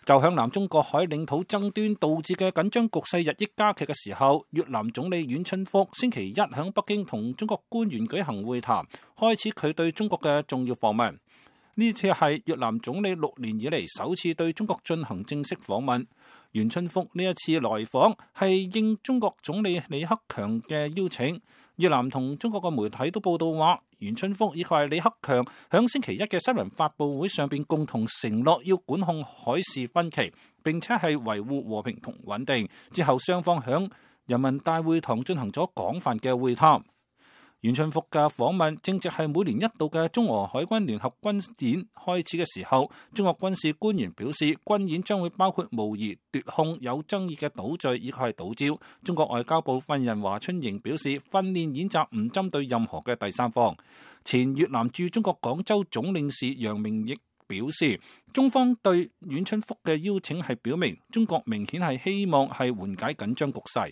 就向南中國海領土爭端導致嘅緊張局勢日益加劇嘅時候，越南總理阮春福星期一喺北京同中國官員舉行會談，開始佢對中國嘅重要訪問。呢次係越南總理6年以嚟首次對中國進行正式訪問。阮春福呢一次來訪係應中國總理李克強嘅邀請。越南同中國嘅媒體都報道話，阮春福以及李克強響星期一嘅新聞發佈會上邊共同承諾要管控海事分歧，並且係維護和平同穩定。之後雙方響人民大會堂進行咗廣泛嘅會談。阮春福嘅訪問正值係每年一度嘅中俄海軍聯合軍演開始嘅時候，中國軍事官員表示，軍演將會包括模擬奪控有爭議嘅島嶼以及係島礁。中國外交部發言人華春瑩表示，訓練演習唔針對任何嘅第三方。前越南駐中國廣州總領事楊明亦表示，中方對阮春福嘅邀請係表明中國明顯係希望係緩解緊張局勢。